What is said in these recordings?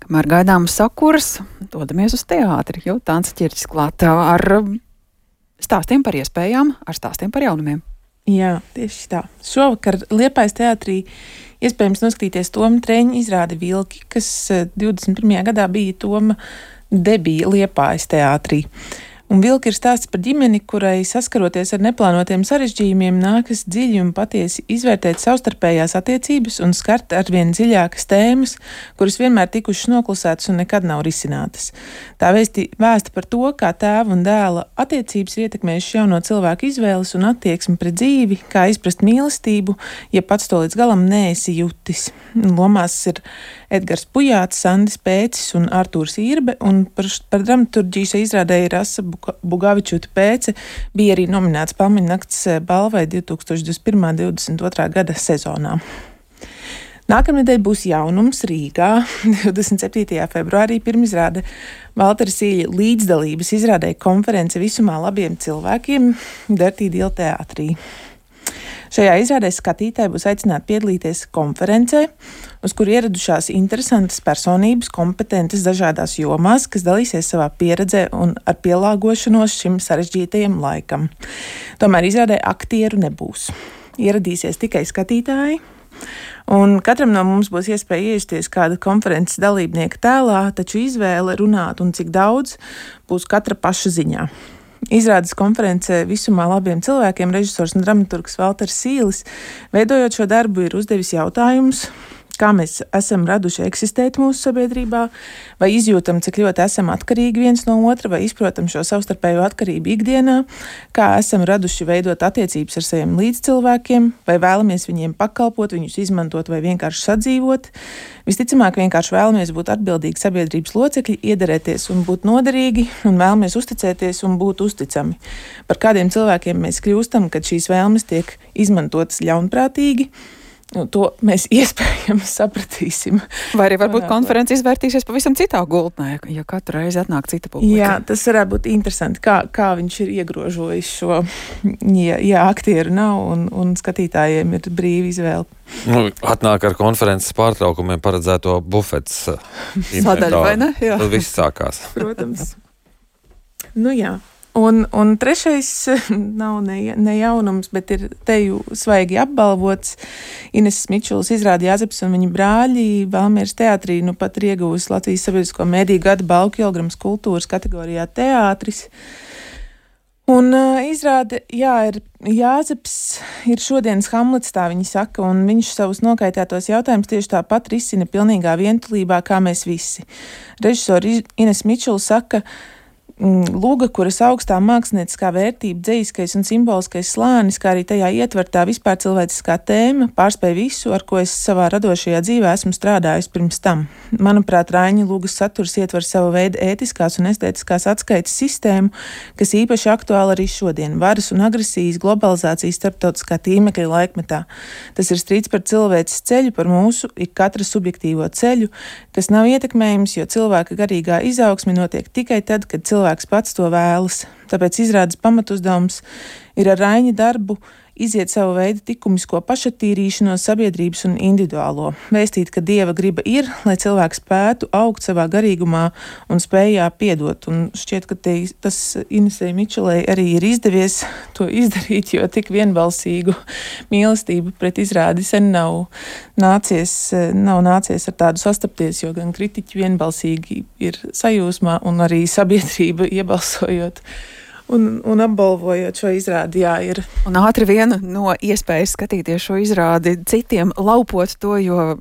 Kamēr gaidām sakuras, dodamies uz teātri, jo Tāns Ķirķis klāt ar stāstiem par iespējām, ar stāstiem par jaunumiem. Jā, tieši tā. Šovakar Liepājas teātrī iespējams noskatīties Toma Trēņa izrādi Vilki, kas 21. gadā bija Toma debija Liepājas teātrī. Un Vilki ir stāsts par ģimeni, kurai saskaroties ar neplānotiem sarežģījumiem nākas dziļi un patiesi izvērtēt savstarpējās attiecības un skart arvien dziļākas tēmas, kuras vienmēr tikušas noklusētas un nekad nav risinātas. Tā vēsta par to, kā tēva un dēla attiecības ir ietekmējušas jauno cilvēku izvēles un attieksmi pret dzīvi, kā izprast mīlestību, ja pats to līdz galam neesi jutis. Lomās ir Edgars Pujāts, Sandis Pēcis un Artūrs Irbe, un par dramaturģiju šai izrādē ir Asa Bugavičuta Pēce, bija arī nominēts Palmeņnakts balvai 2021.-2022. gada sezonā. Nākamnedēļ būs jaunums Rīgā. 27. februārī pirmizrāde Valtera Sīļa līdzdalības izrādē konference Visumā labiem cilvēkiem Dirty Deal teātrī. Šajā izrādē skatītāji būs aicināti piedalīties konferencē, uz kuru ieradušās interesantas personības, kompetentas dažādās jomās, kas dalīsies savā pieredzē un ar pielāgošanos šim sarežģītajam laikam. Tomēr izrādē aktieru nebūs. Ieradīsies tikai skatītāji, un katram no mums būs iespēja iejusties kāda konferences dalībnieka tēlā, taču izvēle runāt un cik daudz būs katra paša ziņā. Izrādes konferencē Visumā labiem cilvēkiem režisors un dramaturgs Valters Sīlis, veidojot šo darbu, ir uzdevis jautājumus, kā mēs esam raduši eksistēt mūsu sabiedrībā, vai izjūtam, cik ļoti esam atkarīgi viens no otra, vai izprotam šo savstarpējo atkarību ikdienā, kā esam raduši veidot attiecības ar saviem līdzcilvēkiem, vai vēlamies viņiem pakalpot, viņus izmantot vai vienkārši sadzīvot. Visticamāk, vienkārši vēlamies būt atbildīgi sabiedrības locekļi, iederēties un būt noderīgi, un vēlamies uzticēties un būt uzticami. Par kādiem cilvēkiem mēs kļūstam, kad šīs vēlmes tiek izmantotas ļaunprātīgi, to mēs iespējams sapratīsim. Vai arī varbūt konferences izvērtīsies pavisam citā gultnē, ja katru reizi atnāk cita publika. Jā, tas varētu būt interesanti, kā viņš ir iegrožojis šo, ja aktieru nav un skatītājiem ir brīva izvēle. Atnāk ar konferences pārtraukumiem paredzēto bufets sadaļu, vai ne? Jā. Tad viss sākās. Protams. Jā. Un trešais nav ne jaunums, bet ir teju svaigi apbalvots. Ineses Mičulas izrādi Jāzeps un viņa brāļi Valmieras teātrī pat ir ieguvusi Latvijas sabiedrisko mediju gada balvu Kilgrams kultūras kategorijā teātris. Un izrāde, ir Jāzeps ir šodienas Hamlets, tā viņi saka, un viņš savus nokaitētos jautājumus tieši tāpat risina pilnīgā vientulībā, kā mēs visi. Režisori Ines Mičula saka, Lūga, kuras augstā mākslinieckā vērtība, dzejiskais un simboliskais slānis, kā arī tajā ietvertā vispār cilvēciskā tēma, pārspēj visu, ar ko es savā radošajā dzīvē esmu strādājis pirms tam. Manuprāt, Raiņa Lūgas saturs ietver savu veidu ētiskās un estētiskās atskaites sistēmu, kas īpaši aktuāli arī šodien - varas un agresijas, globalizācijas starptautiskā tīmekļa laikmetā. Tas ir strīds par cilvēces ceļu, par mūsu ik katra subjektīvo ceļu, kas nav ietekmējams, jo cilvēka garīgā izaugsme notiek tikai tad, kad cilvēks pats to vēlas. Tāpēc izrādes pamatuzdevums ir ar Raiņa darbu iziet savu veidu likumisko pašattīrīšanos sabiedrības un individuālo. Vēstīt, ka Dieva griba ir, lai cilvēks spētu augt savā garīgumā un spējā piedot. Un šķiet, ka tas Inesei Mičulai arī ir izdevies to izdarīt, jo tik vienbalsīgu mīlestību pret izrādi sen nav nācies ar tādu sastapties, jo gan kritiķi vienbalsīgi ir sajūsmā un arī sabiedrība iebalsojot un apbalvojot šo izrādi, ir. Un ātri viena no iespējas skatīties šo izrādi citiem laupot to, jo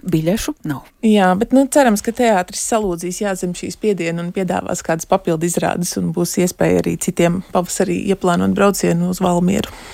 biļešu nav. Jā, bet cerams, ka teātris salūdzīs zem šīs spiediena un piedāvās kādas papildu izrādes un būs iespēja arī citiem pavasarī ieplānot braucienu uz Valmieru.